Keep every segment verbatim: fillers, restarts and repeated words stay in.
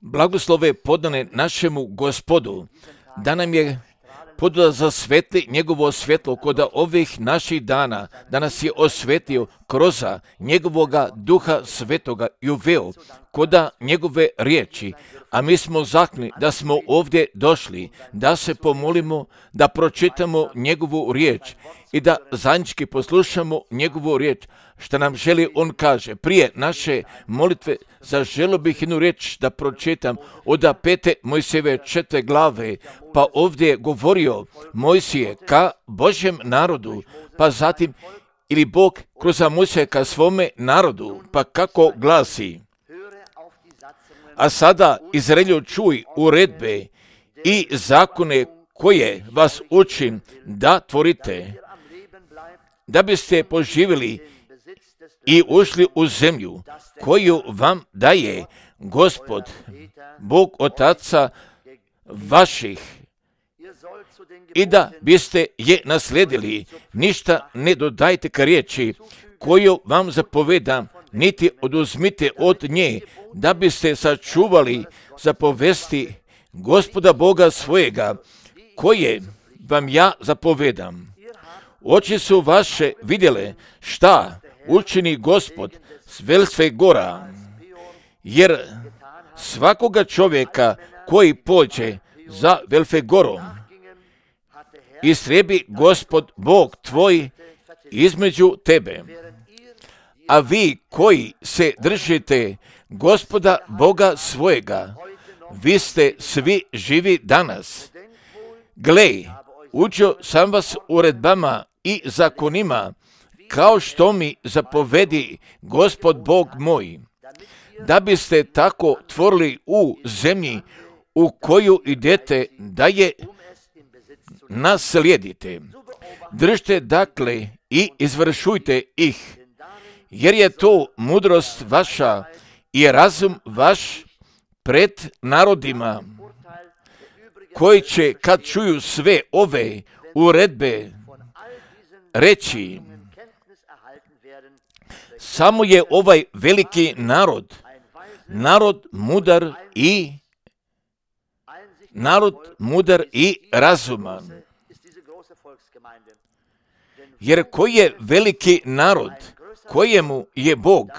Blagoslove podane našemu Gospodu, da nam je podao za svetli njegovo svjetlo kod ovih naših dana, da nas je osvetio kroz njegovoga duha svetoga i uveo kod njegove riječi, a mi smo zakli da smo ovdje došli, da se pomolimo, da pročitamo njegovu riječ i da zajednički poslušamo njegovu riječ, što nam želi on kaže. Prije naše molitve zaželio bih jednu riječ da pročitam od pete Mojsijeve četvrte glave, pa ovdje je govorio Mojsije ka Božjem narodu, pa zatim ili Bog kroz Mojsija ka svome narodu, pa kako glasi. A sada Izraelju čuj uredbe i zakone koje vas učim da tvorite, da biste poživjeli i ušli u zemlju koju vam daje Gospod, Bog otaca vaših, i da biste je nasledili. Ništa ne dodajte ka riječi koju vam zapovedam, niti oduzmite od nje, da biste sačuvali zapovesti Gospoda Boga svojega, koje vam ja zapovedam. Oči su vaše vidjele šta učini Gospod s Velfe gora, jer svakoga čovjeka koji pođe za Velfe gorom, istrebi Gospod Bog tvoj između tebe. A vi koji se držite Gospoda Boga svojega, vi ste svi živi danas. Glej, učio sam vas uredbama i zakonima, kao što mi zapovedi Gospod Bog moj, da biste tako tvorili u zemlji u koju idete, da je naslijedite. Držite dakle i izvršujte ih, jer je to mudrost vaša i razum vaš pred narodima, koji će kad čuju sve ove uredbe reći, samo je ovaj veliki narod, narod mudar i narod mudar i razuman. Jer koji je veliki narod, kojemu je Bog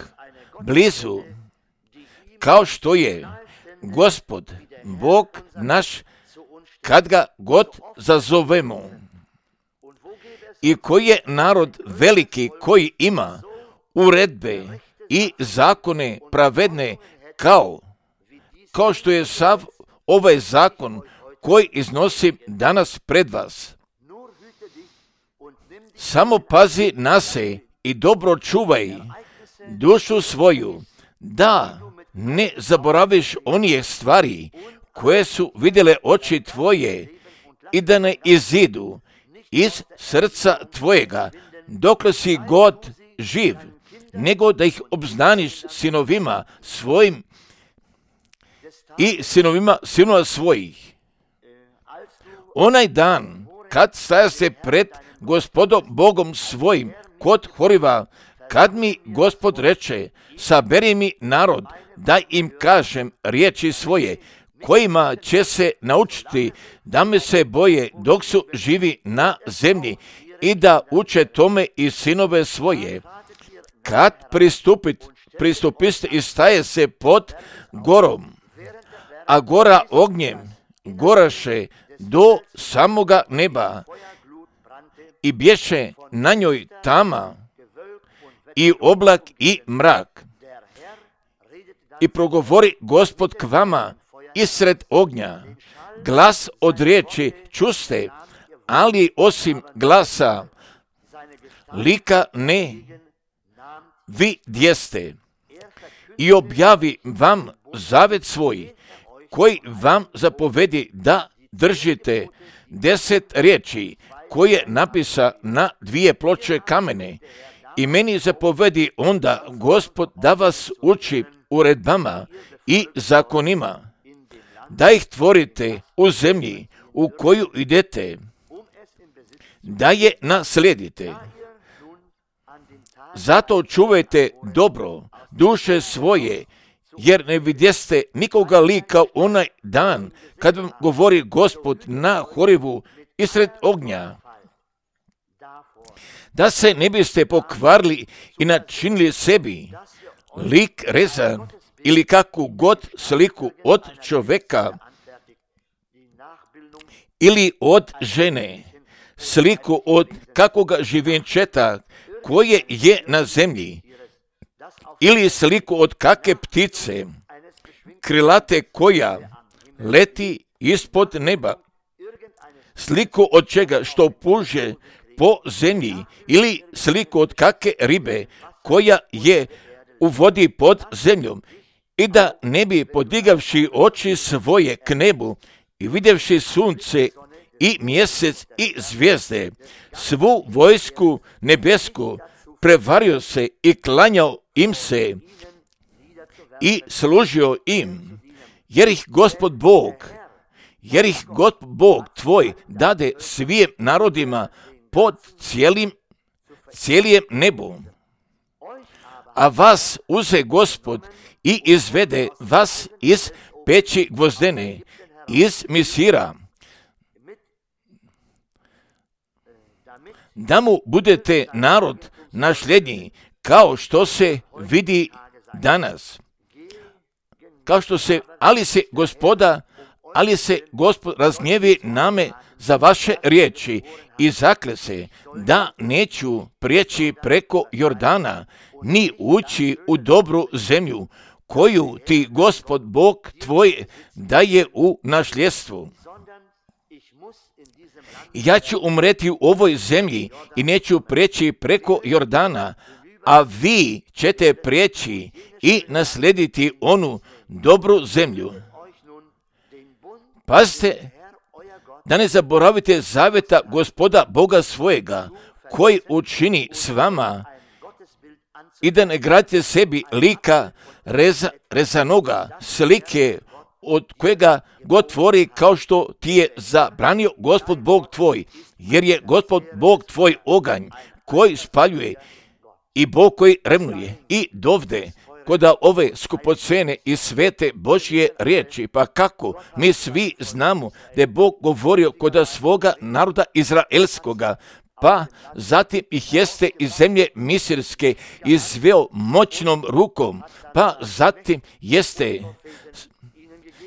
blizu, kao što je Gospod, Bog naš, kad ga god zazovemo. I koji je narod veliki koji ima uredbe i zakone pravedne, kao, kao što je sav ovaj zakon koji iznosim danas pred vas. Samo pazi na se i dobro čuvaj dušu svoju, da ne zaboraviš onije stvari koje su vidjele oči tvoje i da ne izidu iz srca tvojega dokle si god živ, nego da ih obznaniš sinovima svojim i sinovima sinova svojih. Onaj dan kad staja se pred Gospodom Bogom svojim kod Horiva, kad mi Gospod reče, saberi mi narod, da im kažem riječi svoje, kojima će se naučiti da me se boje dok su živi na zemlji i da uče tome i sinove svoje. Kad pristupit, pristupiste i staje se pod gorom, a gora ognjem goraše do samoga neba i bješe na njoj tama i oblak i mrak. I progovori Gospod k vama isred ognja. Glas od riječi čuste, ali osim glasa lika ne vidjeste. I objavi vam zavet svoj, koji vam zapovedi da držite deset riječi, koje napisa na dvije ploče kamene. I meni zapovedi onda Gospod da vas uči uredbama i zakonima, da ih tvorite u zemlji u koju idete, da je naslijedite. Zato čuvajte dobro duše svoje jer ne vidjeste nikoga lika onaj dan, kad vam govori Gospod na Horivu isred ognja, da se ne biste pokvarili i načinili sebi lik rezan ili kakvu god sliku od čovjeka ili od žene, sliku od kakvoga živenčeta koje je na zemlji, ili sliku od kakve ptice krilate koja leti ispod neba, sliku od čega što puže po zemlji, ili sliku od kakve ribe koja je u vodi pod zemljom, i da ne bi podigavši oči svoje k nebu i vidjevši sunce i mjesec i zvijezde, svu vojsku nebesku, prevario se i klanjao im se i služio im, jer ih Gospod Bog, jer ih Gospod Bog tvoj dade svim narodima pod cijelim, cijelim nebu. A vas uze Gospod i izvede vas iz peći gvozdene, iz Misira, da mu budete narod nasljednji, kao što se vidi danas. Kao što se, ali se gospoda, ali se Gospod razgnjevi name za vaše riječi i zakle se da neću prijeći preko Jordana, ni ući u dobru zemlju, koju ti Gospod Bog tvoj daje u nasljedstvo. Ja ću umreti u ovoj zemlji i neću prijeći preko Jordana, a vi ćete prijeći i naslediti onu dobru zemlju. Pazite, da ne zaboravite zavjeta Gospoda Boga svojega, koji učini s vama, i da ne gradite sebi lika reza, rezanoga, slike od kojega god tvori, kao što ti je zabranio Gospod Bog tvoj, jer je Gospod Bog tvoj oganj koji spaljuje i Bog koji revnuje. I dovde koda ove skupocene i svete Božje riječi, pa kako mi svi znamo da je Bog govorio koda svoga naroda izraelskoga, pa zatim ih jeste iz zemlje misirske izveo moćnom rukom, pa zatim jeste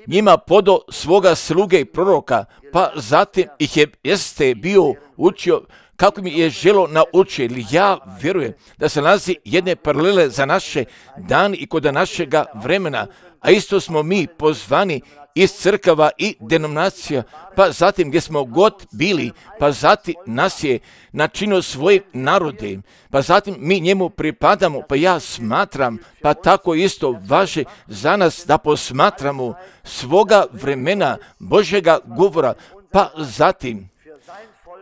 njima podo svoga sluge i proroka, pa zatim ih je jeste bio učio kako mi je želo naučio. Ja vjerujem da se nalazi jedne paralele za naše dane i kod našega vremena, a isto smo mi pozvani iz crkava i denominacija, pa zatim gdje smo god bili, pa zatim nas je načinio svojim narodem, pa zatim mi njemu pripadamo, pa ja smatram, pa tako isto važe za nas da posmatramo svoga vremena Božjega govora, pa zatim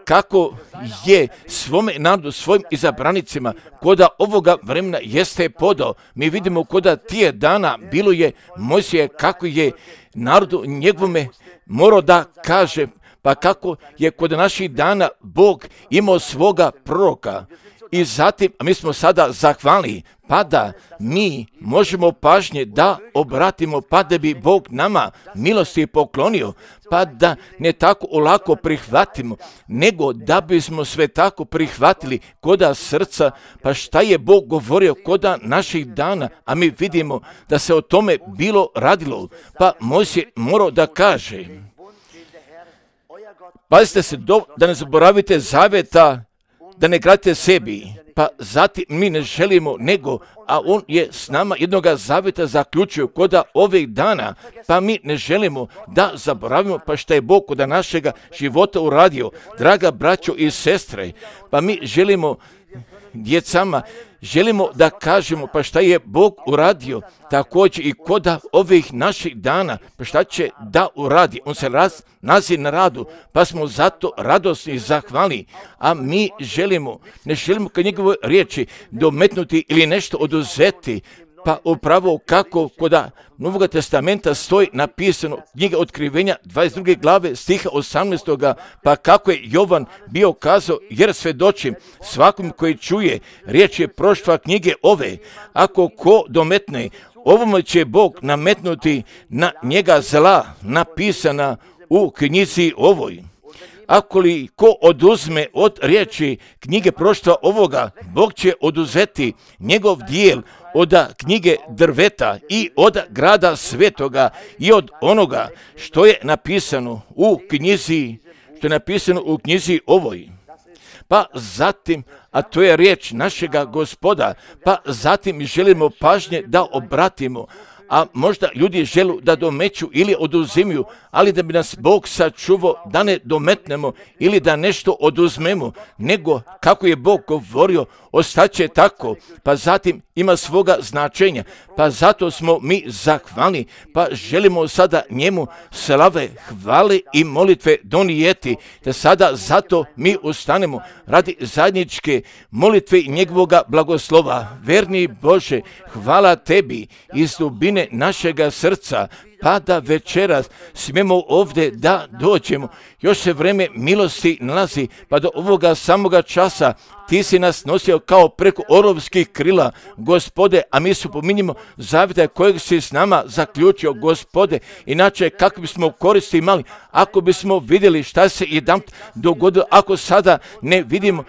kako je svome narodu, svojim izabranicima, koda ovoga vremena jeste podao. Mi vidimo koda tije dana bilo je Mojsije, kako je narodu njegovome morao da kaže, pa kako je kod naših dana Bog imao svoga proroka. I zatim, a mi smo sada zahvalni, pa da mi možemo pažnje da obratimo, pa da bi Bog nama milosti poklonio, pa da ne tako olako prihvatimo, nego da bismo sve tako prihvatili koda srca, pa šta je Bog govorio koda naših dana, a mi vidimo da se o tome bilo radilo, pa Mojsije morao da kaže, pazite se do, da ne zaboravite zavjeta, da ne gradite sebi, pa zatim mi ne želimo nego, a on je s nama jednoga zavjeta zaključio koda ovih dana, pa mi ne želimo da zaboravimo pa šta je Bog koda našega života uradio. Draga braćo i sestre, pa mi želimo djecama, želimo da kažemo pa šta je Bog uradio, također i koda ovih naših dana, pa šta će da uradi. On se raz, nazi na radu, pa smo zato radosni i zahvalni, a mi želimo, ne želimo kad njegove riječi dometnuti ili nešto oduzeti, pa upravo kako koda Novog testamenta stoji napisano, knjiga Otkrivenja dvadeset druge glave stiha osamnaestoga, pa kako je Jovan bio kazao, jer svedočim svakom koji čuje riječ je proštva knjige ove, ako ko dometne ovome će Bog nametnuti na njega zla napisana u knjizi ovoj. Ako li ko oduzme od riječi knjige proštva ovoga, Bog će oduzeti njegov dijel od knjige drveta i od grada svetoga i od onoga što je napisano u knjizi, što je napisano u knjizi ovoj. Pa zatim, a to je riječ našega Gospoda, pa zatim želimo pažnje da obratimo, a možda ljudi žele da domeću ili oduzimaju, ali da bi nas Bog sačuvao da ne dometnemo ili da nešto oduzmemo, nego kako je Bog govorio, ostaće tako, pa zatim ima svoga značenja, pa zato smo mi zahvalni, pa želimo sada njemu slave, hvale i molitve donijeti, da sada zato mi ustanemo radi zajedničke molitve i njegovoga blagoslova. Verni Bože, hvala tebi iz dubine našega srca, pa da večeras smijemo ovdje da dođemo. Još se vreme milosti nalazi, pa do ovoga samoga časa ti si nas nosio kao preko orovskih krila, Gospode, a mi se pominjemo zavjeta kojeg si s nama zaključio, Gospode, inače kako bismo koristi imali, ako bismo vidjeli šta se jedan dogodilo, ako sada ne vidimo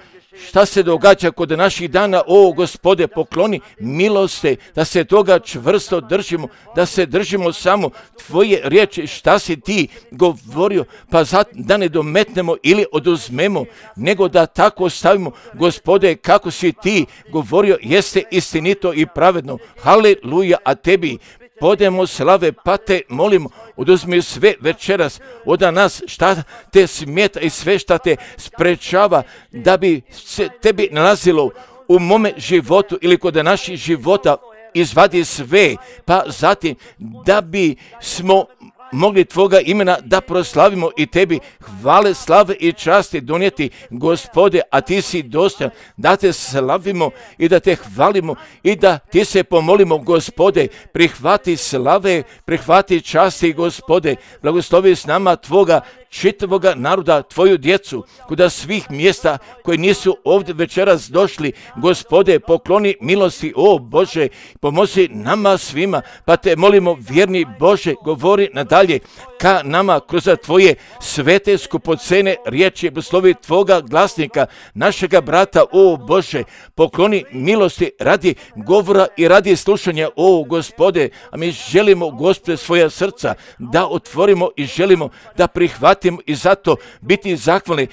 šta se događa kod naših dana, o Gospode, pokloni milosti, da se toga čvrsto držimo, da se držimo samo tvoje riječi, šta si ti govorio, pa zato da ne dometnemo ili oduzmemo, nego da tako stavimo, Gospode, kako si ti govorio, jeste istinito i pravedno. Haleluja, a tebi podemo slave, pa te molimo, oduzmi sve večeras od nas šta te smeta i sve šta te sprečava da bi se tebi nalazilo u mome životu ili kod naših života, izvadi sve, pa zatim da bi smo mogli tvoga imena da proslavimo i tebi hvale, slave i časti donijeti, Gospode, a ti si dostojan da te slavimo i da te hvalimo i da ti se pomolimo, Gospode, prihvati slave, prihvati časti, Gospode, blagoslovi s nama tvoga čitavoga naroda, tvoju djecu, kuda svih mjesta koji nisu ovdje večeras došli, Gospode, pokloni milosti, o Bože, pomozi nama svima, pa te molimo, vjerni Bože, govori nadalje ka nama kroz tvoje svete skupocene riječi, blagoslovi tvoga glasnika, našega brata, o Bože, pokloni milosti radi govora i radi slušanja, o Gospode, a mi želimo, Gospode, svoja srca da otvorimo i želimo da prihvatimo i zato biti zahvalni,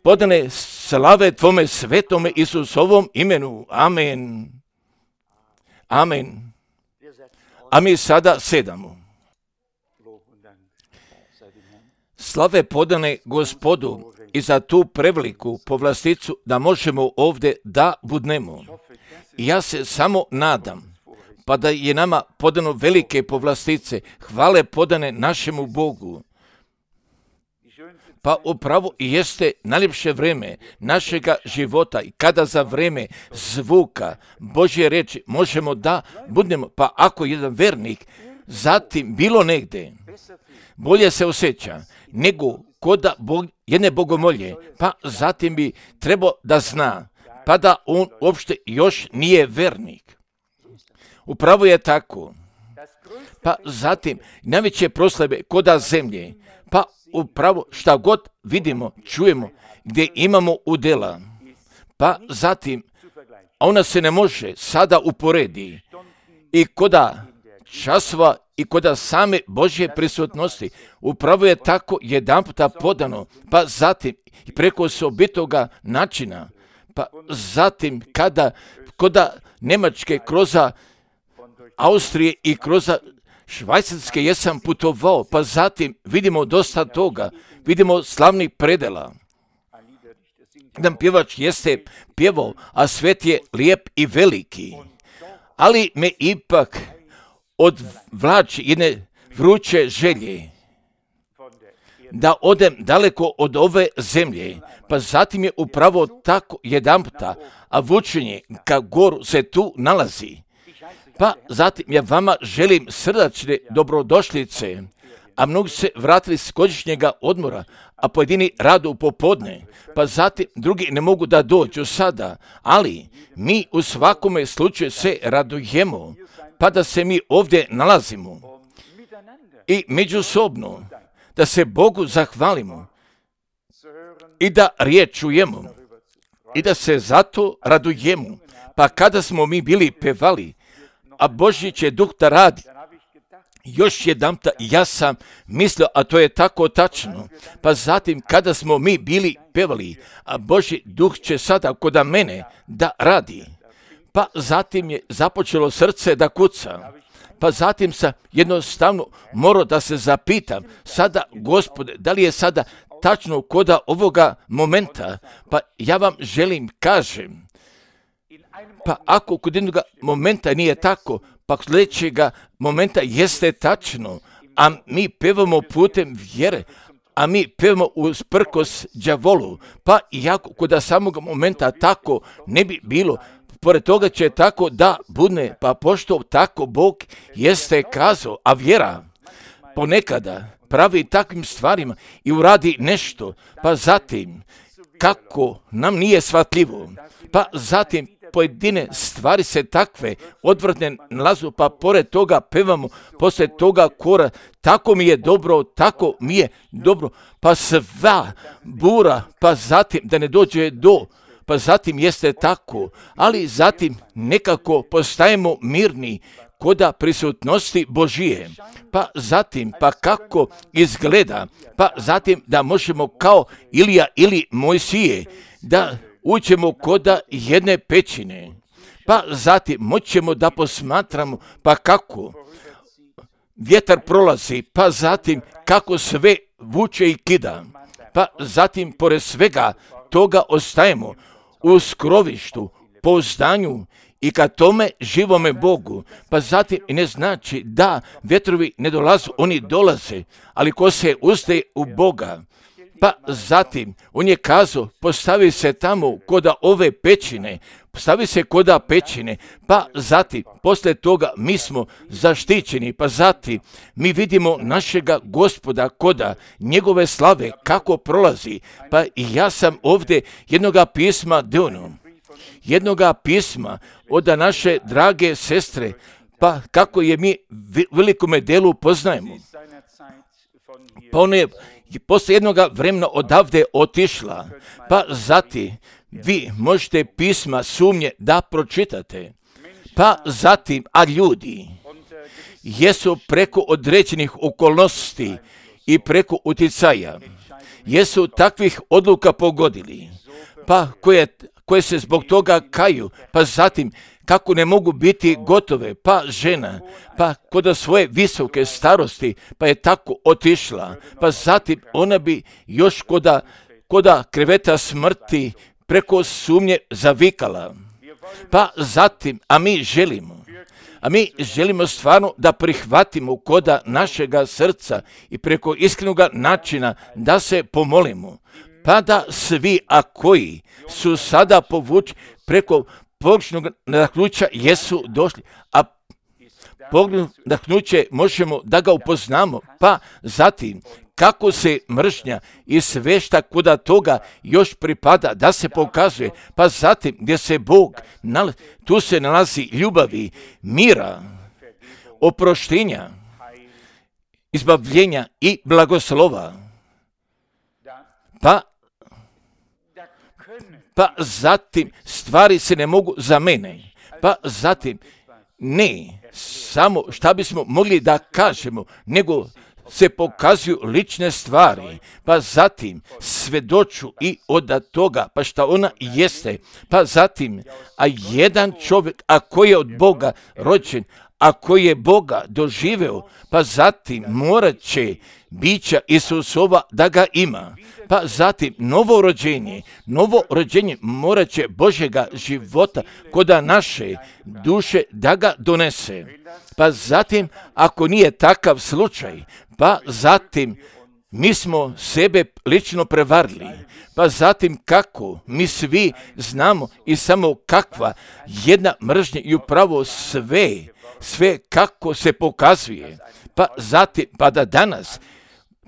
podane slave tvome svetome Isusovom imenu. Amen. Amen. A mi sada sedamo. Slave podane Gospodu i za tu preveliku povlasticu da možemo ovdje da budnemo. Ja se samo nadam, pa da je nama podano velike povlastice, hvale podane našemu Bogu. Pa upravo i jeste najljepše vreme našega života i kada za vreme zvuka Božje reči možemo da budemo, pa ako jedan vernik zatim bilo negde bolje se osjeća nego kod Bog, jedne bogomolje, pa zatim bi trebao da zna, pa da on uopšte još nije vernik. Upravo je tako. Pa zatim najveće proslave koda zemlje, pa upravo šta god vidimo, čujemo, gdje imamo udjela, pa zatim ona se ne može sada uporedi i koda časova i koda same Božje prisutnosti. Upravo je tako jedan puta podano, pa zatim i preko osobitoga načina, pa zatim kada koda Njemačke kroz Austrije i kroz Švajcarske jesam putovao, pa zatim vidimo dosta toga, vidimo slavnih predela. Jedan pjevač jeste pjevao, a svet je lijep i veliki, ali me ipak odvlači jedne vruće želje da odem daleko od ove zemlje, pa zatim je upravo tako jedan puta, a vučenje ka goru se tu nalazi. Pa zatim ja vama želim srdačne dobrodošlice, a mnogi se vratili s godišnjega odmora, a pojedini radu u popodne, pa zatim drugi ne mogu da dođu sada, ali mi u svakome slučaju se radujemo, pa pa da se mi ovdje nalazimo i međusobno da se Bogu zahvalimo i da riječ čujemo i da se zato radujemo. Pa kada smo mi bili pevali, a Božji će duh da radi, još jedanput ja sam mislio, a to je tako tačno, pa zatim kada smo mi bili pevali, a Božji duh će sada kod mene da radi, pa zatim je započelo srce da kuca, pa zatim sam jednostavno morao da se zapitam, sada Gospode, da li je sada tačno koda ovoga momenta, pa ja vam želim kažem, pa ako kod jednog momenta nije tako, pa sljedećega momenta jeste tačno, a mi pevamo putem vjere, a mi pevamo usprkos đavolu, pa iako kod samog momenta tako ne bi bilo, pored toga će tako da bude, pa pošto tako Bog jeste kazao, a vjera ponekada pravi takvim stvarima i uradi nešto, pa zatim kako nam nije shvatljivo, pa zatim pojedine stvari se takve odvrtne nalazu, pa pored toga pevamo, poslije toga kora, tako mi je dobro, tako mi je dobro, pa sva bura, pa zatim da ne dođe do, pa zatim jeste tako, ali zatim nekako postajemo mirni koda prisutnosti Božije, pa zatim, pa kako izgleda, pa zatim da možemo kao Ilija ili Mojsije, da uđemo koda jedne pećine, pa zatim moćemo da posmatramo, pa kako vjetar prolazi, pa zatim kako sve vuče i kida, pa zatim pored svega toga ostajemo u skrovištu, pouzdanju i ka tome živome Bogu, pa zatim ne znači da vjetrovi ne dolaze, oni dolaze, ali ko se ustaje u Boga, pa zatim on je kazao, postavi se tamo koda ove pećine, postavi se koda pećine, pa zatim posle toga mi smo zaštićeni, pa zatim mi vidimo našega Gospoda koda njegove slave kako prolazi, pa i ja sam ovdje jednoga pisma deo, jednoga pisma od naše drage sestre, pa kako je mi velikome delu poznajemo. Pa ona je posle jednog vremena odavde otišla, pa zatim vi možete pisma sumnje da pročitate, pa zatim, a ljudi jesu preko određenih okolnosti i preko uticaja, jesu takvih odluka pogodili, pa koje, koje se zbog toga kaju, pa zatim kako ne mogu biti gotove, pa žena, pa kod svoje visoke starosti, pa je tako otišla, pa zatim ona bi još koda, koda kreveta smrti preko sumnje zavikala, pa zatim, a mi želimo, a mi želimo stvarno da prihvatimo koda našega srca i preko iskrenog načina da se pomolimo, pa da svi, a koji su sada povući preko pogrešnog nadahnuća jesu došli, a pogrešno nadahnuće možemo da ga upoznamo, pa zatim kako se mržnja i sve šta kuda toga još pripada da se pokazuje, pa zatim gdje se Bog nalazi, tu se nalazi ljubavi, mira, oproštenja, izbavljenja i blagoslova. Pa Pa zatim stvari se ne mogu za mene, pa zatim ne samo šta bismo mogli da kažemo, nego se pokazuju lične stvari, pa zatim svedoču i od toga, pa šta ona jeste, pa zatim, a jedan čovjek, a koji je od Boga rođen, a koji je Boga doživeo, pa zatim morat će bića Isusova da ga ima, pa zatim novo rođenje, novo rođenje morat će Božjega života koda naše duše da ga donese, pa zatim ako nije takav slučaj, pa zatim mi smo sebe lično prevarili, pa zatim kako mi svi znamo i samo kakva jedna mržnja i upravo sve, sve kako se pokazuje, pa zatim, pa da danas,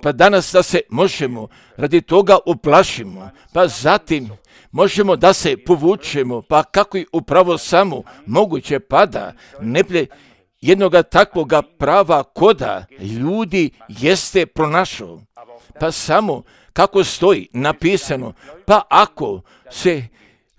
pa danas da se možemo radi toga uplašimo, pa zatim možemo da se povučemo, pa kako i upravo samo moguće pada, ne ple jednoga takvoga prava koda ljudi jeste pronašao. Pa samo kako stoji napisano, pa ako se,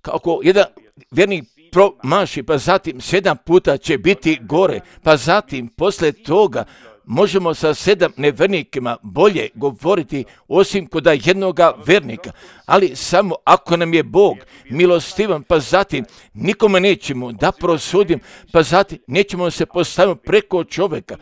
kako jedan vjernik promaši, pa zatim sedam puta će biti gore, pa zatim posle toga možemo sa sedam nevernikima bolje govoriti osim kod jednoga vernika, ali samo ako nam je Bog milostivan, pa zatim nikome nećemo da prosudim, pa zatim nećemo se postaviti preko čovjeka,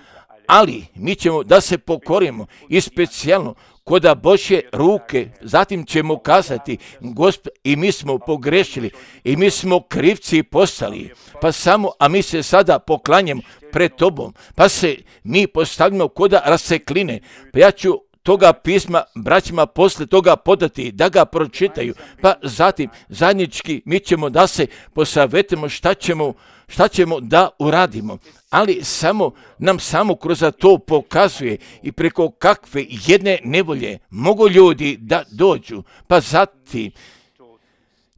ali mi ćemo da se pokorimo i specijalno koda Božje ruke, zatim ćemo kazati, Gospod, i mi smo pogrešili, i mi smo krivci postali, pa samo, a mi se sada poklanjamo pred tobom, pa se mi postavimo koda rasekline, pa ja ću toga pisma braćima posle toga podati, da ga pročitaju, pa zatim zajednički mi ćemo da se posavetimo šta ćemo, šta ćemo da uradimo, ali samo nam samo kroz to pokazuje i preko kakve jedne nevolje mogu ljudi da dođu, pa zatim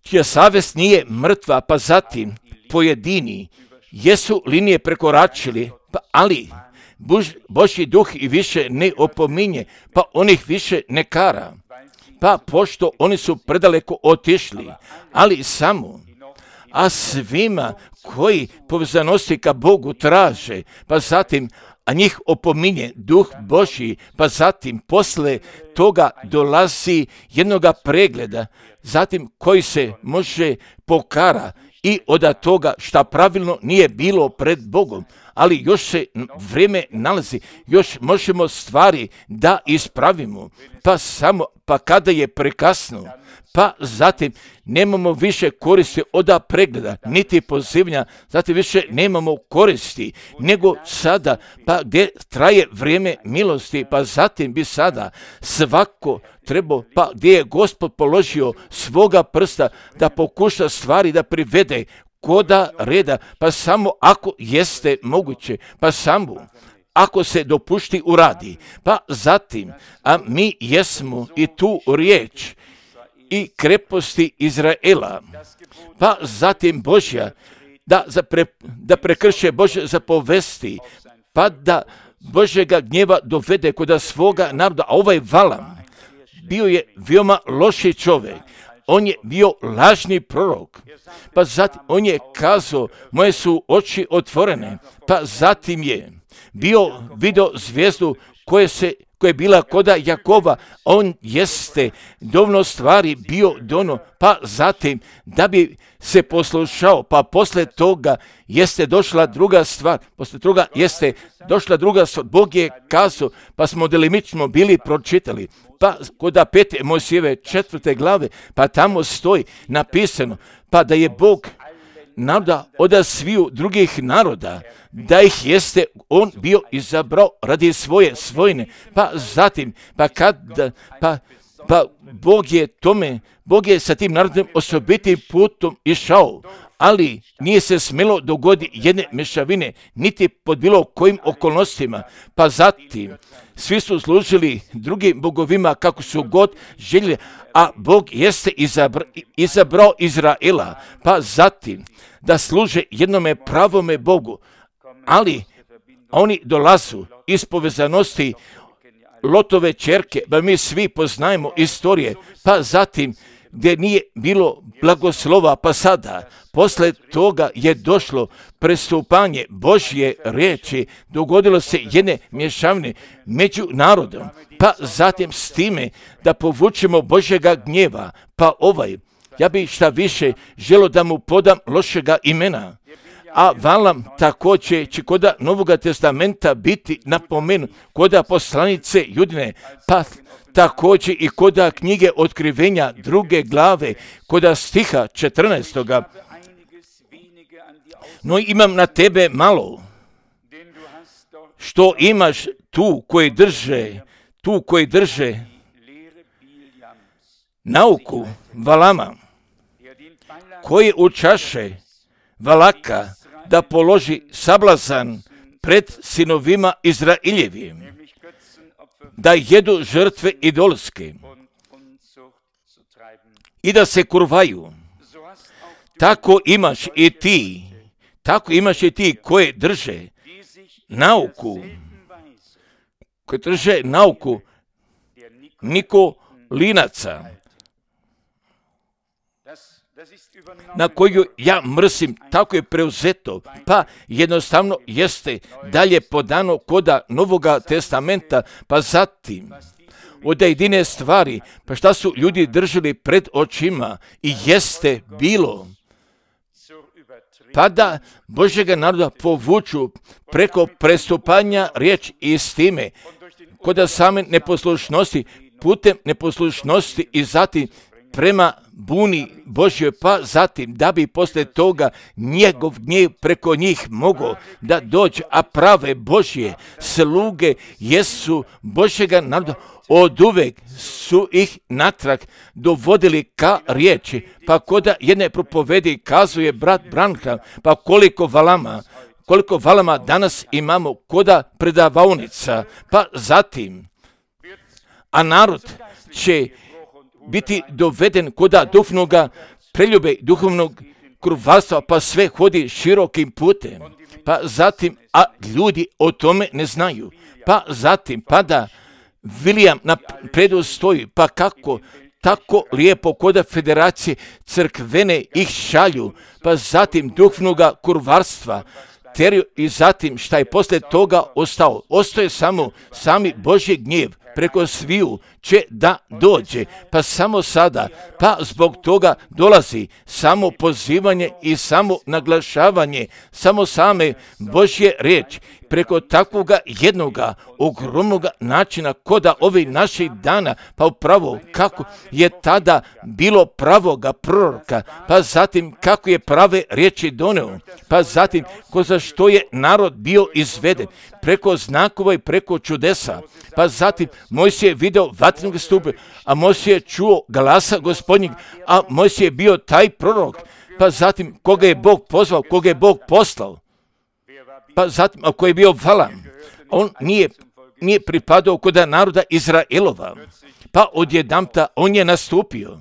čija savjest nije mrtva, pa zatim pojedini jesu linije prekoračili, pa ali Bož, Božji duh i više ne opominje, pa on ih više ne kara, pa pošto oni su predaleko otišli, ali samo, a svima koji povezanosti ka Bogu traže, pa zatim, a njih opominje duh Božji, pa zatim posle toga dolazi jednoga pregleda, zatim koji se može pokara i od toga šta pravilno nije bilo pred Bogom, ali još se vrijeme nalazi, još možemo stvari da ispravimo, pa samo, pa kada je prekasno, pa zatim nemamo više koristi od pregleda, niti pozivanja, zatim više nemamo koristi, nego sada, pa gdje traje vrijeme milosti, pa zatim bi sada svako trebao, pa gdje je Gospod položio svoga prsta da pokuša stvari da privede koda reda, pa samo ako jeste moguće, pa samo ako se dopušti uradi, pa zatim, a mi jesmo i tu riječ i kreposti Izraela, pa zatim Božja, da, zapre, da prekrše Božje zapovesti, pa da Božjega gnjeva dovede kod svoga naroda, a ovaj Valam bio je veoma loši čovjek, on je bio lažni prorok, pa zatim on je kazao, moje su oči otvorene, pa zatim je bio video zvijezdu koje se koja je bila koda Jakova, on jeste dovoljno stvari bio dono, pa zatim da bi se poslušao, pa posle toga jeste došla druga stvar, posle toga jeste došla druga stvar, Bog je kazao, pa smo delimično bili pročitali, pa koda pete Mojsijeve četvrte glave, pa tamo stoji napisano, pa da je Bog naroda od sviju drugih naroda, da ih jeste on bio izabrao radi svoje svojine, pa zatim, pa kad, pa, pa Bog je tome, Bog je sa tim narodom osobitim putom išao, ali nije se smjelo dogoditi jedne mešavine, niti pod bilo kojim okolnostima, pa zatim svi su služili drugim bogovima kako su god željeli, a Bog jeste izabra, izabrao Izraela, pa zatim da služe jednome pravome Bogu, ali oni dolazu iz povezanosti Lotove ćerke, ba mi svi poznajemo istorije, pa zatim gdje nije bilo blagoslova, pa sada, posle toga je došlo prestupanje Božje riječi, dogodilo se jedne mješavine među narodom, pa zatim s time da povučemo Božjega gnjeva, pa ovaj, ja bih šta više želo da mu podam lošega imena, a Valam također će koda Novoga testamenta biti napomenut, koda poslanice Judine, pa također i koda knjige Otkrivenja druge glave, koda stiha četrnaestoga. No imam na tebe malo, što imaš tu koji drže, tu koji drže nauku Valama, koji učaše Valaka da položi sablazan pred sinovima Izraeljevim, da jedu žrtve idolske i da se kurvaju. Tako imaš i ti, tako imaš i ti koje drže nauku, koji drže nauku Nikolinaca, na koju ja mrsim, tako je preuzeto, pa jednostavno jeste dalje podano koda Novoga testamenta, pa zatim od jedine stvari, pa šta su ljudi držali pred očima i jeste bilo, pa da Božjega naroda povuču preko prestupanja riječ istine, koda same neposlušnosti, putem neposlušnosti i zatim prema buni Božjoj, pa zatim da bi poslije toga njegov gnjev preko njih mogao da dođe, a prave Božje sluge jesu Božjega naroda, od uvek su ih natrag dovodili ka riječi, pa koda jedne propovedi kazuje brat Branham, pa koliko valama, koliko valama danas imamo koda predavaonica, pa zatim, a narod će biti doveden koda duhovnoga preljube, duhovnog krvarstva, pa sve hodi širokim putem, pa zatim, a ljudi o tome ne znaju, pa zatim, pa da William na predu stoji, pa kako tako lijepo koda federacije crkvene ih šalju, pa zatim duhovnoga kurvarstva, teriju i zatim šta je poslije toga ostao. Ostaje samo sami Božji gnjev preko sviju će da dođe, pa samo sada, pa zbog toga dolazi samo pozivanje i samo naglašavanje, samo same Božje riječi, preko takvoga jednoga ogromnoga načina koda ovih naših dana, pa upravo kako je tada bilo pravoga proroka, pa zatim kako je prave riječi doneo, pa zatim ko za što je narod bio izveden, preko znakova i preko čudesa, pa zatim Mojsije je video vatrenog stupa, a Mojsije je čuo glasa Gospodnjeg, a Mojsije je bio taj prorok, pa zatim koga je Bog pozvao, koga je Bog poslao, pa zatim ako je bio Valam, on nije, nije pripadao kod naroda Izraelova, pa odjedanput on je nastupio.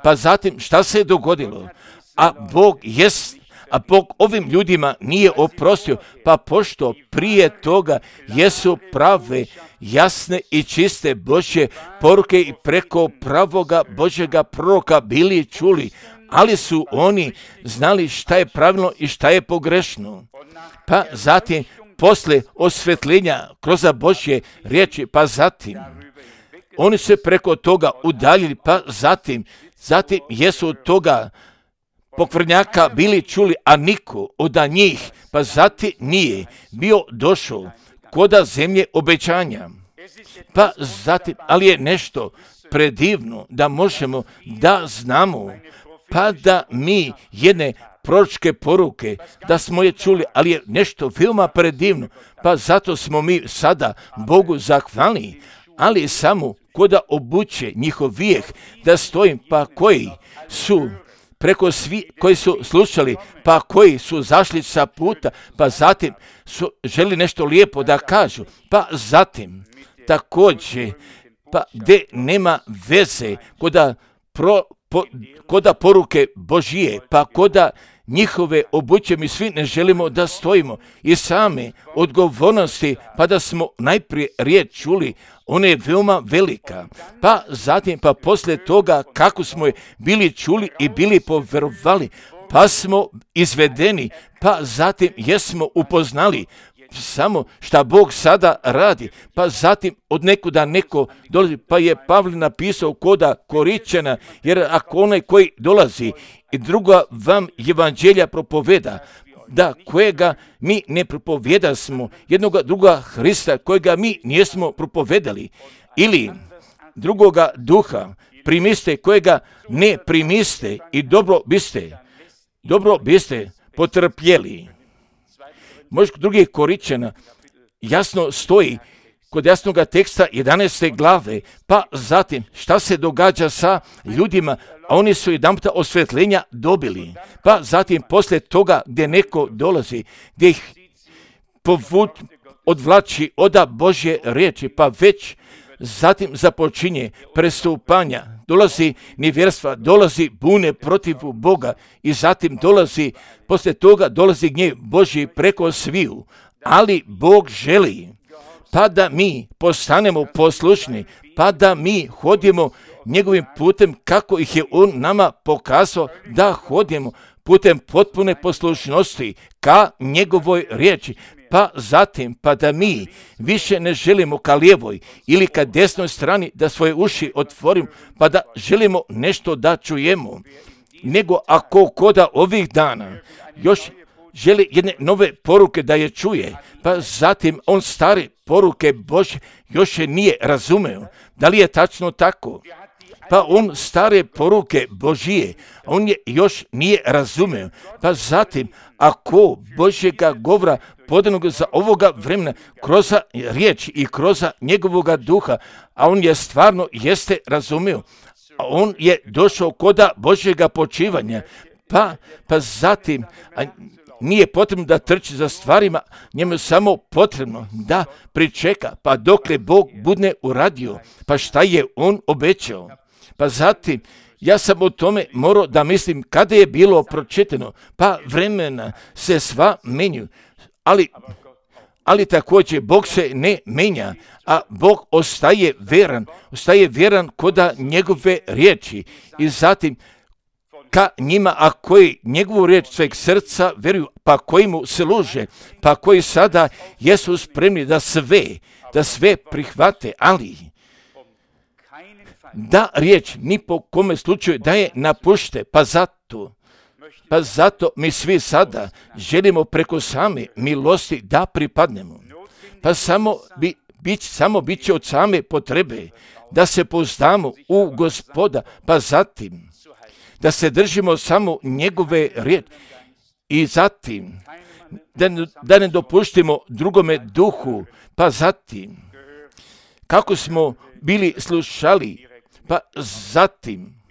Pa zatim šta se je dogodilo? A Bog jest, a Bog ovim ljudima nije oprostio, pa pošto prije toga jesu prave, jasne i čiste Božje poruke i preko pravoga Božjega proroka bili čuli, ali su oni znali šta je pravilno i šta je pogrešno. Pa zatim, posle osvetljenja kroz Božje riječi, pa zatim, oni se preko toga udaljili, pa zatim, zatim jesu od toga pokvrnjaka bili čuli, a niko od njih, pa zatim nije bio došao koda zemlje obećanja. Pa zatim, ali je nešto predivno da možemo da znamo, pa da mi jedne proročke poruke, da smo je čuli, ali je nešto veoma predivno, pa zato smo mi sada Bogu zahvalni, ali samo koda obuće njihov vijeh da stojim, pa koji su preko svi koji su slušali, pa koji su zašli sa puta, pa zatim su želi nešto lijepo da kažu, pa zatim također, pa gdje nema veze koda, pro, po, koda poruke Božije, pa koda njihove obuće, mi svi ne želimo da stojimo i same odgovornosti, pa da smo najprije riječ čuli, ona je veoma velika, pa zatim, pa poslije toga kako smo je bili čuli i bili poverovali, pa smo izvedeni, pa zatim jesmo upoznali samo šta Bog sada radi, pa zatim od nekuda neko dolazi, pa je Pavle napisao koda Koričana, jer ako onaj koji dolazi i druga vam evanđelja propoveda, da kojega mi ne propovjeda smo, jednoga druga Hrista kojega mi nismo propovedali, ili drugoga duha primiste kojega ne primiste i dobro biste, dobro biste potrpjeli. Možda kod drugih Koričana jasno stoji kod jasnoga teksta jedanaeste glave, pa zatim šta se događa sa ljudima, a oni su jedanputa osvjetljenja dobili, pa zatim poslije toga gdje neko dolazi, gdje ih povut, odvlači oda Božje riječi, pa već zatim započinje prestupanja, dolazi nevjerstva, dolazi bune protiv Boga i zatim dolazi, poslije toga dolazi gnjev Božji preko sviju. Ali Bog želi pa da mi postanemo poslušni, pa da mi hodimo njegovim putem kako ih je on nama pokazao da hodimo, putem potpune poslušnosti ka njegovoj riječi. Pa zatim, pa da mi više ne želimo ka lijevoj ili ka desnoj strani da svoje uši otvorimo, pa da želimo nešto da čujemo, nego ako koda ovih dana još želi jedne nove poruke da je čuje, pa zatim on stare poruke Božje još je nije razumeo. Da li je tačno tako? Pa on stare poruke Božije, on je još nije razumeo. Pa zatim, ako Božjega govora podanog za ovoga vremena, kroz riječ i kroz njegovoga duha, a on je stvarno jeste razumeo, a on je došao koda Božjega počivanja, pa, pa zatim, a nije potrebno da trči za stvarima, njemu je samo potrebno da pričeka, pa dokle Bog bude uradio, pa šta je on obećao. Pa zatim, ja sam o tome morao da mislim kada je bilo pročitano, pa vremena se sva menju, ali, ali također Bog se ne menja, a Bog ostaje vjeran, ostaje vjeran koda njegove riječi i zatim ka njima, a koji njegovu riječ sveg srca vjeruju, pa koji mu služe, pa koji sada jesu spremni da sve, da sve prihvate, ali da riječ ni po kome slučaju da je napušte, pa zato, pa zato mi svi sada želimo preko same milosti da pripadnemo. Pa samo bi, bit, samo bit će od same potrebe da se pouzdamo u Gospoda, pa zatim da se držimo samo njegove riječi i zatim da, da ne dopuštimo drugome duhu, pa zatim kako smo bili slušali, pa zatim,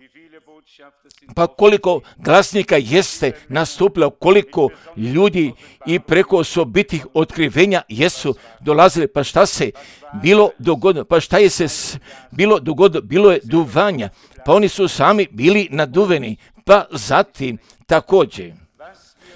pa koliko glasnika jeste nastupilo, koliko ljudi i preko osobitih otkrivenja jesu dolazili, pa šta se bilo dogodilo, pa šta je se bilo dogodilo, bilo je duvanja, pa oni su sami bili naduveni, pa zatim također.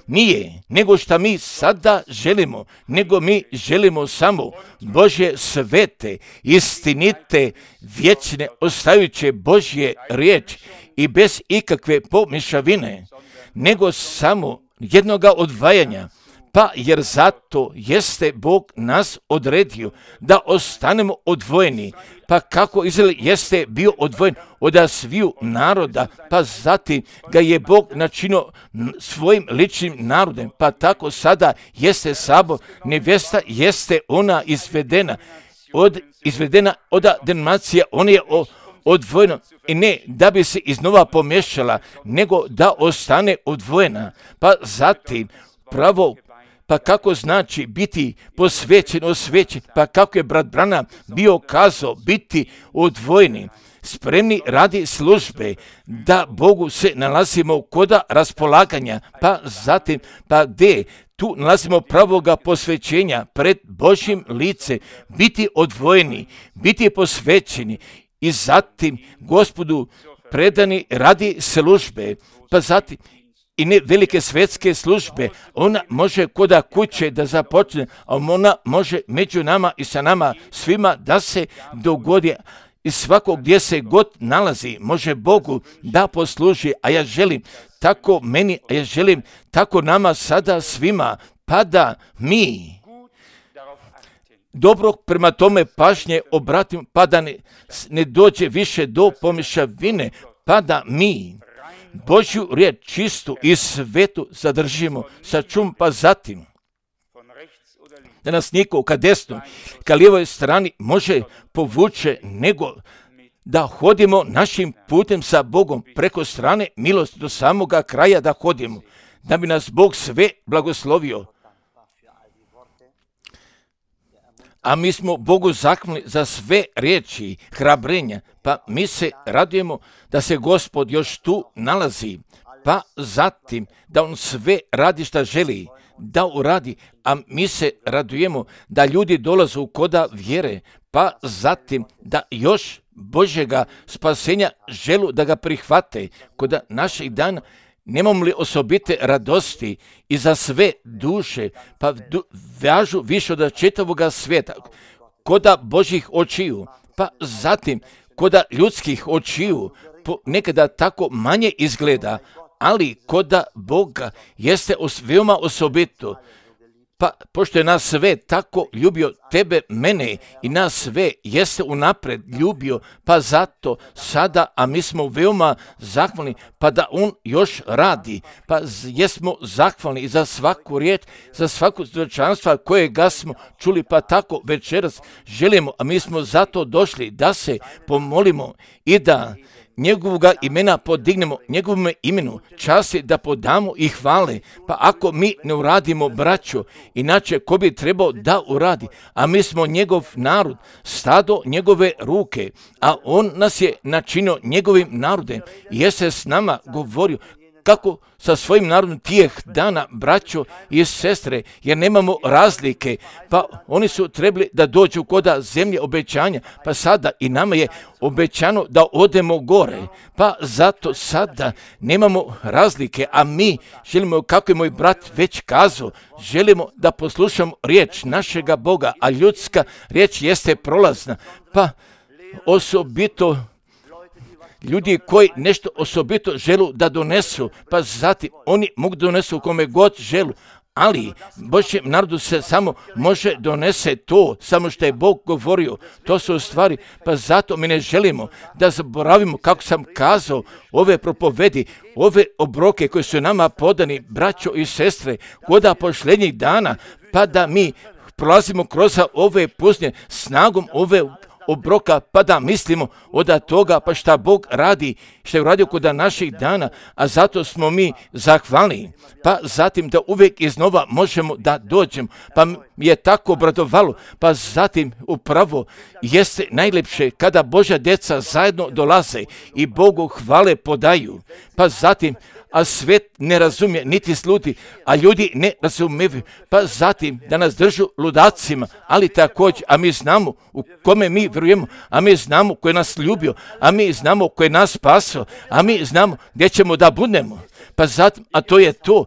Nije, nego što mi sada želimo, nego mi želimo samo Božje svete, istinite, vječne, ostajuće Božje riječi i bez ikakve pomješavine, nego samo jednoga odvajanja. Pa jer zato jeste Bog nas odredio da ostanemo odvojeni. Pa kako Izrael jeste bio odvojen od sviju naroda, pa zatim ga je Bog načinio svojim ličnim narodem, pa tako sada jeste sabor, nevjesta jeste ona izvedena, od, izvedena od denominacija, ona je odvojena i ne da bi se iznova pomješala, nego da ostane odvojena. Pa zatim pravo, pa kako znači biti posvećen, osvećen, pa kako je brat Branham bio kazao biti odvojeni, spremni radi službe, da Bogu se nalazimo koda raspolaganja, pa zatim, pa gdje tu nalazimo pravoga posvećenja pred Božjim lice, biti odvojeni, biti posvećeni i zatim Gospodu predani radi službe, pa zatim i ne velike svjetske službe, ona može koda kuće da započne, a ona može među nama i sa nama svima da se dogodi i svako gdje se god nalazi može Bogu da posluži, a ja želim tako meni, a ja želim tako nama sada svima, pa da mi dobro prema tome pažnje obratimo, pa da ne, ne dođe više do pomješavine, pa da mi Božju riječ čistu i svetu zadržimo, sačum, pa zatim da nas niko ka desnoj, ka lijevoj strani može povuče, nego da hodimo našim putem sa Bogom preko strane milosti do samoga kraja da hodimo, da bi nas Bog sve blagoslovio. A mi smo Bogu zahvalni za sve riječi, hrabrenja, pa mi se radujemo da se Gospod još tu nalazi, pa zatim da On sve radi šta želi da uradi, a mi se radujemo da ljudi dolaze u koda vjere, pa zatim da još Božjega spasenja želu da ga prihvate. Kod naših dana nemamo li osobite radosti i za sve duše, pa du, važu više od čitavoga svijeta, koda Božjih očiju, pa zatim koda ljudskih očiju, nekada tako manje izgleda, ali koda Boga jeste os, veoma osobito. Pa pošto je nas sve tako ljubio, tebe, mene i nas sve jeste unapred ljubio, pa zato sada, a mi smo veoma zahvalni, pa da on još radi, pa jesmo zahvalni i za svaku riječ, za svaku svjedočanstva kojega smo čuli, pa tako večeras želimo, a mi smo zato došli da se pomolimo i da njegovoga imena podignemo, njegovom imenu časti da podamo i hvale. Pa ako mi ne uradimo, braćo, inače ko bi trebao da uradi, a mi smo njegov narod, stado njegove ruke, a on nas je načinio njegovim narodem i je se s nama govorio kako sa svojim narodom tijeh dana, braćo i sestre, jer nemamo razlike, pa oni su trebali da dođu koda zemlje obećanja, pa sada i nama je obećano da odemo gore, pa zato sada nemamo razlike, a mi želimo, kako je moj brat već kazao, želimo da poslušamo riječ našega Boga, a ljudska riječ jeste prolazna, pa osobito ljudi koji nešto osobito želu da donesu, pa zatim oni mogu donesu kome god želu, ali Božjem narodu se samo može donese to, samo što je Bog govorio, to su stvari, pa zato mi ne želimo da zaboravimo, kako sam kazao, ove propovedi, ove obroke koje su nama podani, braćo i sestre, koda posljednjih dana, pa da mi prolazimo kroz ove puznje snagom ove obroka, pa da mislimo od toga, pa šta Bog radi, što je uradio kod naših dana, a zato smo mi zahvalni, pa zatim da uvijek iznova možemo da dođemo, pa mi je tako obradovalo, pa zatim upravo jeste najlepše kada Božja djeca zajedno dolaze i Bogu hvale podaju, pa zatim a svet ne razumije, niti sluti, a ljudi ne razumiju, pa zatim da nas držu ludacima, ali također, a mi znamo u kome mi vjerujemo, a mi znamo ko je nas ljubio, a mi znamo ko je nas spasao, a mi znamo gdje ćemo da budemo, pa zatim, a to je to,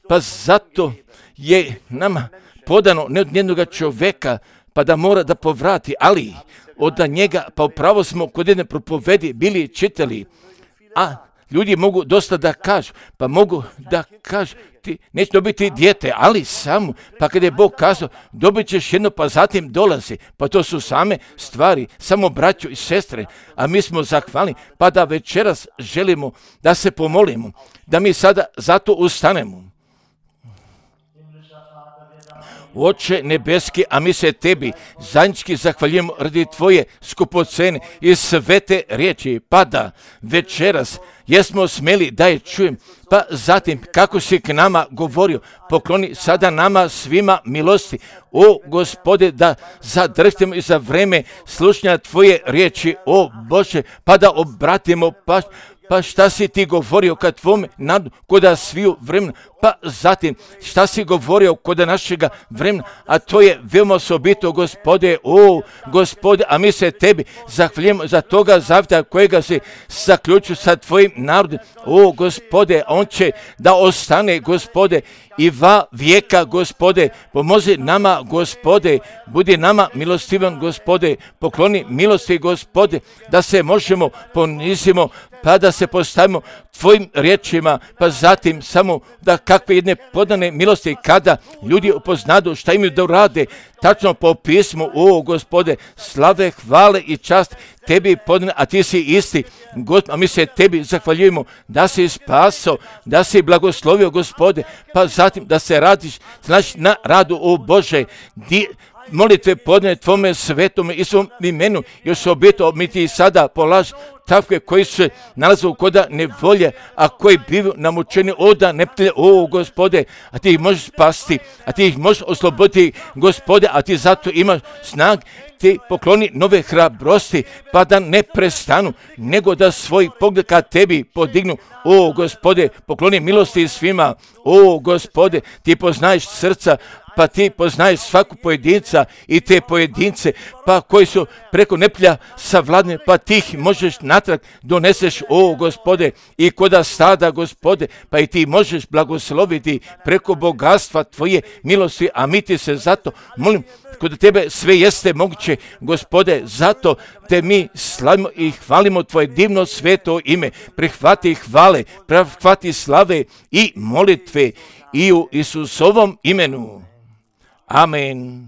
pa zato je nama podano ne od jednog čovjeka, pa da mora da povrati, ali od njega, pa upravo smo kod jedne propovedi bili čitali, a ljudi mogu dosta da kažu, pa mogu da kažu, ti neće dobiti dijete, ali samo, pa kada je Bog kazao, dobit ćeš jedno, pa zatim dolazi, pa to su same stvari, samo braćo i sestre, a mi smo zahvalni, pa da večeras želimo da se pomolimo, da mi sada zato ustanemo. Oče nebeski, a mi se tebi zajednički zahvaljujemo radi tvoje skupocene i svete riječi, pa da večeras jesmo smeli da je čujem, pa zatim kako si k nama govorio, pokloni sada nama svima milosti, o Gospode, da zadržimo i za vreme slušanja tvoje riječi, o Bože, pa da obratimo pažnju. Pa šta si ti govorio kad tvome narodu koda sviju vremena, pa zatim šta si govorio koda našega vremena, a to je veoma osobito, Gospode, o Gospode, a mi se tebi zahvaljujemo za toga zavjeta kojega si zaključio sa tvojim narodom, o Gospode, on će da ostane, Gospode, i va vijeka, Gospode, pomozi nama, Gospode, budi nama milostivan, Gospode, pokloni milosti, Gospode, da se možemo ponizimo, pa da se postavimo tvojim riječima, pa zatim samo da kakve jedne podane milosti kada ljudi upoznadu šta imaju da urade, tačno po pismu, o Gospode, slave, hvale i čast tebi podane, a ti si isti, Gospod, a mi se tebi zahvaljujemo da si spasao, da si blagoslovio, Gospode, pa zatim da se radiš, znači na radu, o Bože, di, molitve podne tvome svetome i svom imenu, još obito mi ti sada polaž takve koji se nalaze u koda nevolje, a koji bivaju namučeni oda neptelje, o Gospode, a ti ih možeš spasti, a ti ih možeš osloboditi, Gospode, a ti zato imaš snag, ti pokloni nove hrabrosti, pa da ne prestanu, nego da svoj pogled ka tebi podignu, o Gospode, pokloni milosti svima, o Gospode, ti poznaješ srca, pa ti poznaješ svaku pojedinca i te pojedince, pa koji su preko neplja savladne, pa ti ih možeš natrag doneseš, o Gospode, i koda stada, Gospode, pa i ti možeš blagosloviti preko bogatstva tvoje milosti, a mi ti se zato molim, kod tebe sve jeste moguće, Gospode, zato te mi slavimo i hvalimo tvoje divno sveto ime. Prihvati hvale, prihvati slave i molitve i u Isusovom imenu. Amen.